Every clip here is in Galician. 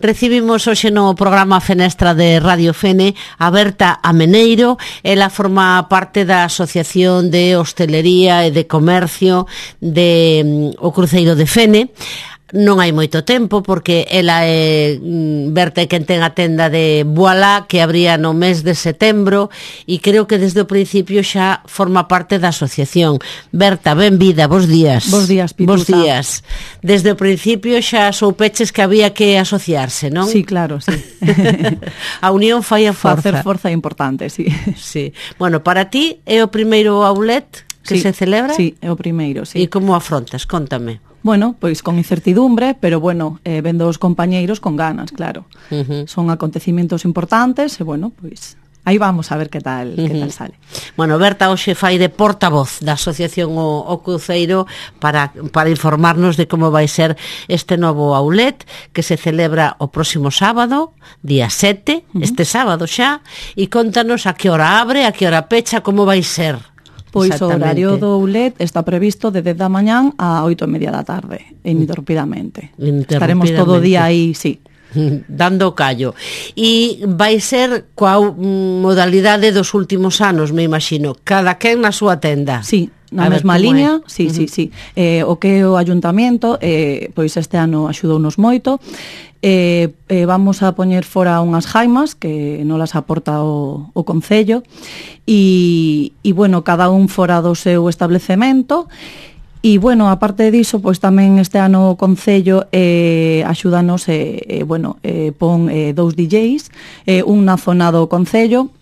Recibimos hoxe no programa Fenestra de Radio Fene a Berta Ameneiro. Ela forma parte da Asociación de Hostelería e de Comercio de o Cruceiro de Fene. Non hai moito tempo porque ela é Berta é quen ten a tenda de Voilá que abría no mes de setembro e creo que desde o principio xa forma parte da asociación. Berta, benvida, bos días. Bos días, Pitusa. Bos días. Desde o principio xa soupeches que había que asociarse, non? Sí, claro, sí. A unión fai a forza. Facer forza é importante, sí. Sí. Bueno, para ti é o primeiro outlet que se celebra? Sí, é o primeiro, sí. E como afrontas? Contame. Bueno, pois con incertidumbre, pero bueno, vendo os compañeiros con ganas, claro. Son acontecimientos importantes e bueno, pois aí vamos a ver que tal sale. Bueno, Berta hoxe fai de portavoz da Asociación o Cruceiro para informarnos de como vai ser este novo outlet que se celebra o próximo sábado, día 7, este sábado xa, e contanos a que hora abre, a que hora pecha, como vai ser. Pois o horario do outlet está previsto de 10 da mañán a 8:30 da tarde, ininterrumpidamente. Estaremos todo o día aí, sí. Dando callo. E vai ser coa modalidade dos últimos anos, me imagino. Cada quen na súa tenda. Sí, na mesma línea, sí. O que é o ayuntamiento, pois este ano axudounos moito. Vamos a poñer fora unhas jaimas que non las aporta o Concello e bueno, cada un fora do seu establecemento. E, bueno, aparte diso, pois tamén este ano o Concello axúdanos, pon 2 DJs, un na zona do Concello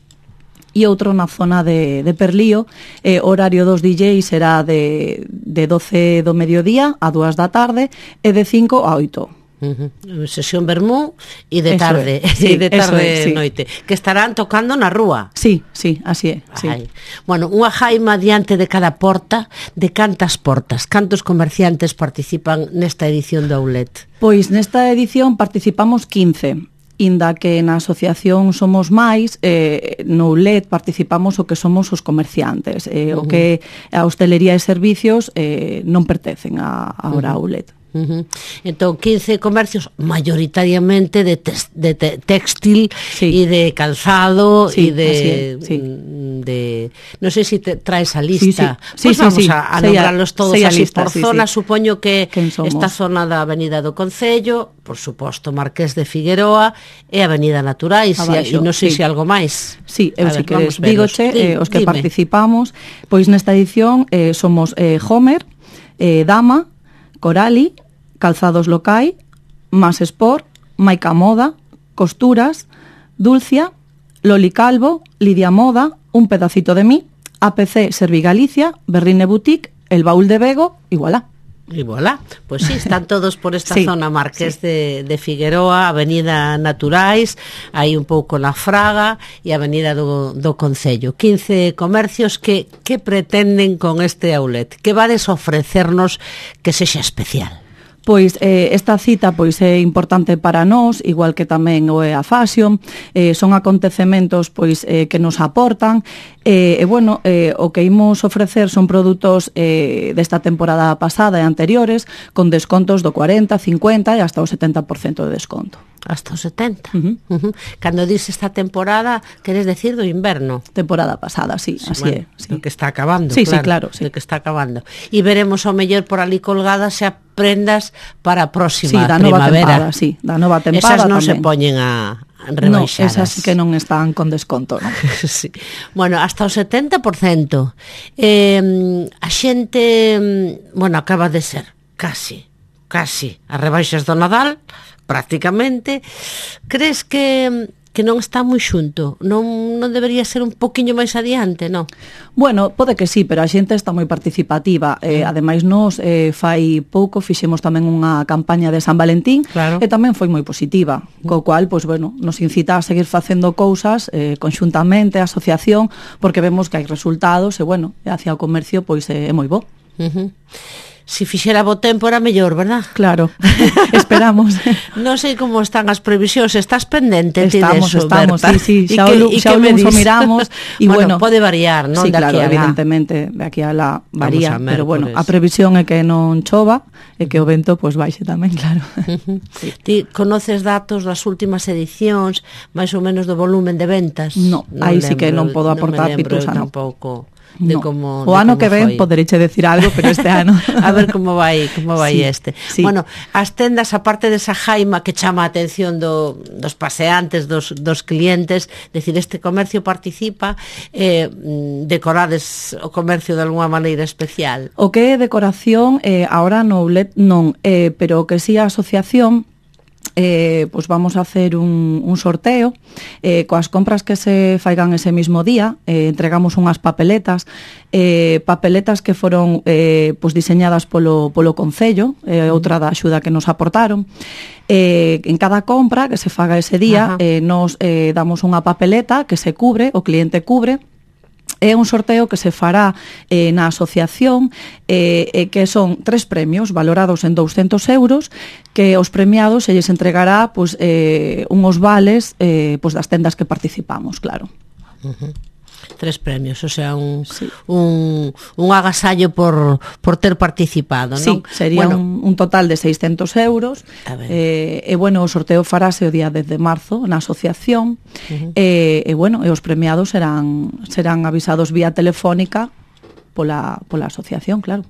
e outro na zona de Perlío. Horario dos DJs será de 12 do mediodía a 2 da tarde e de 5 a 8. Sesión vermú e de tarde, sí, de tarde sí. Noite, que estarán tocando na rúa. Sí, así é. Sí. Bueno, unha jaima diante de cada porta. De cantas portas, cantos comerciantes participan nesta edición do outlet? Pois nesta edición participamos 15. Inda que na asociación somos máis, no outlet participamos o que somos os comerciantes. O que a hostelería e servicios non pertencen a hora outlet. Entón 15 comercios mayoritariamente de textil e de calzado e de non sei se traes a lista. Pois vamos a nombrarlos todos así por zona. Supoño que esta zona da Avenida do Concello, por suposto Marqués de Figueroa e Avenida Naturais e non sei se algo máis. Sí, eu se queres dígoche os que participamos. Pois nesta edición somos Homer, Dama, Corali, Calzados Locai, Mas Sport, Maica Moda, Costuras, Dulcia, Loli Calvo, Lidia Moda, Un pedacito de mí, APC Servigalicia, Berrine Boutique, El Baúl de Bego e voilà. E voilà, pois sí, están todos por esta zona, Marqués de Figueroa, Avenida Naturais, aí un pouco na Fraga e Avenida do Concello. 15 comercios que pretenden con este outlet, que vades ofrecernos que sexa especial? Pois esta cita pois é importante para nós, igual que tamén o é a Fashion. Son acontecementos pois que nos aportan o que imos ofrecer son produtos desta temporada pasada e anteriores con descontos do 40, 50 e hasta o 70% de desconto. Hasta o 70. Cando dis esta temporada, queres decir do inverno? Temporada pasada, sí, así é. Do que está acabando, claro. Do que está acabando. E veremos ao mellor por ali colgadas xa prendas para a próxima primavera. Da nova tempada. Esas non tamén se poñen a rebaixadas. No, esas que non están con desconto, non? Sí. Bueno, hasta o 70%. A xente, acaba de ser casi as rebaixas do Nadal, prácticamente. Crees que non está moi xunto? Non debería ser un poquinho máis adiante, non? Bueno, pode que sí, pero a xente está moi participativa. Ademais, nos fai pouco fixemos tamén unha campaña de San Valentín, e tamén foi moi positiva, co cual, pois, nos incita a seguir facendo cousas conxuntamente, a asociación, porque vemos que hai resultados e, hacia o comercio, pois, é moi bo. Si fixera bo tempo era mellor, verdad? Claro, esperamos. Non sei como están as previsións, estás pendente ti deso, Estamos, Berta? sí, xa o lunes o miramos e bueno, pode variar, non? Sí, claro, evidentemente, de aquí a la varía, pero bueno, a previsión é que non chova e que o vento pois baixe tamén, claro. Sí. Ti conoces datos das últimas edicións, máis ou menos do volumen de ventas? No, aí sí que non podo aportar, Pitusa, non. Tampouco. De no. como, o ano que ven podereiche decir algo, pero este ano a ver como vai sí, este. Sí. Bueno, as tendas, aparte desa jaima que chama a atención dos paseantes, dos clientes, decir, este comercio participa, decorades o comercio de alguna maneira especial? O que é decoración, ahora no outlet non, pero o que sí a asociación, pois vamos a hacer un sorteo coas compras que se faigan ese mismo día. Entregamos unhas papeletas que foron pois diseñadas polo Concello, outra da axuda que nos aportaron. En cada compra que se faga ese día, nos damos unha papeleta que se cubre, o cliente cubre. É un sorteo que se fará na asociación, que son 3 premios valorados en 200 euros, que os premiados se lles entregará pois, unhos vales pois, das tendas que participamos, claro. 3 premios, o sea, un agasallo por ter participado, non? Sí, sería un total de 600 euros. E bueno, o sorteo farase o día 10 de marzo na asociación. E bueno, os premiados serán avisados vía telefónica pola asociación, claro.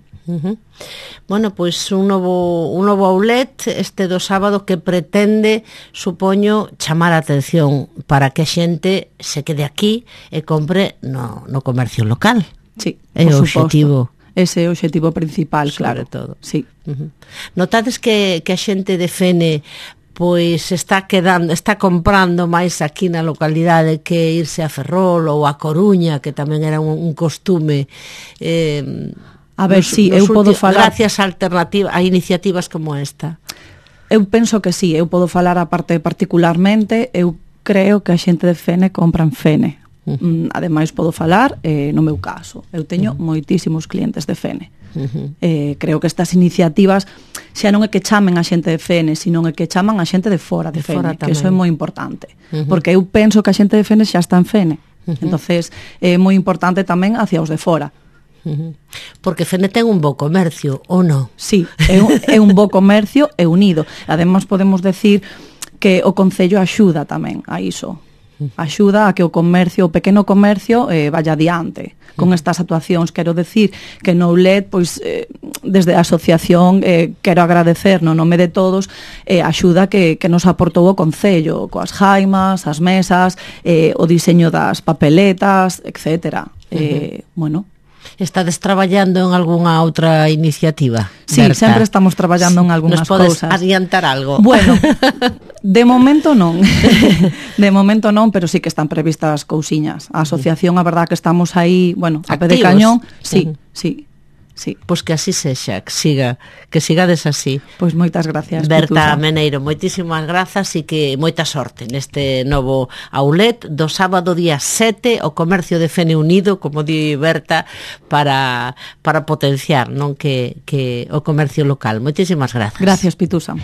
Bueno, pois un novo outlet este do sábado que pretende, supoño, chamar a atención para que a xente se quede aquí e compre no comercio local. Sí, é o objetivo. Ese é o objetivo principal, claro. Sobre todo. Sí. Notades que a xente de Fene pois está comprando máis aquí na localidade que irse a Ferrol ou a Coruña, que tamén era un costume. A ver, sí, eu podo falar... Gracias a iniciativas como esta. Eu penso que sí, eu podo falar a parte particularmente, eu creo que a xente de Fene compra en Fene. Ademais, podo falar no meu caso. Eu teño moitísimos clientes de Fene. Creo que estas iniciativas xa non é que chamen a xente de Fene, sino é que chaman a xente de fora de Fene, que iso é moi importante. Porque eu penso que a xente de Fene xa está en Fene. Entonces, é moi importante tamén hacia os de fora. Porque Fene ten un bo comercio, ou non? Sí, é un bo comercio e unido. Ademais podemos decir que o Concello axuda tamén a iso. Axuda a que o pequeno comercio vaya adiante con estas actuacións. Quero decir que no outlet, pois, desde a asociación quero agradecer no nome de todos axuda que nos aportou o Concello coas jaimas, as mesas, o diseño das papeletas, etcétera. Bueno, Estades traballando en algunha outra iniciativa? Sí, Berta, sempre estamos traballando en algunhas cousas. Nos podes adiantar algo? Bueno, de momento non. De momento non, pero sí que están previstas cousiñas. A asociación, a verdad que estamos aí, bueno, a pé de cañón. Sí, sí. Sí. Pois que así sexa, que sigades así. Pois moitas gracias, Berta Meneiro, moitísimas grazas e que moita sorte neste novo outlet do sábado día 7, o comercio de Fene unido, como di Berta, para potenciar, non, que o comercio local. Moitísimas grazas. Gracias, Pitusa.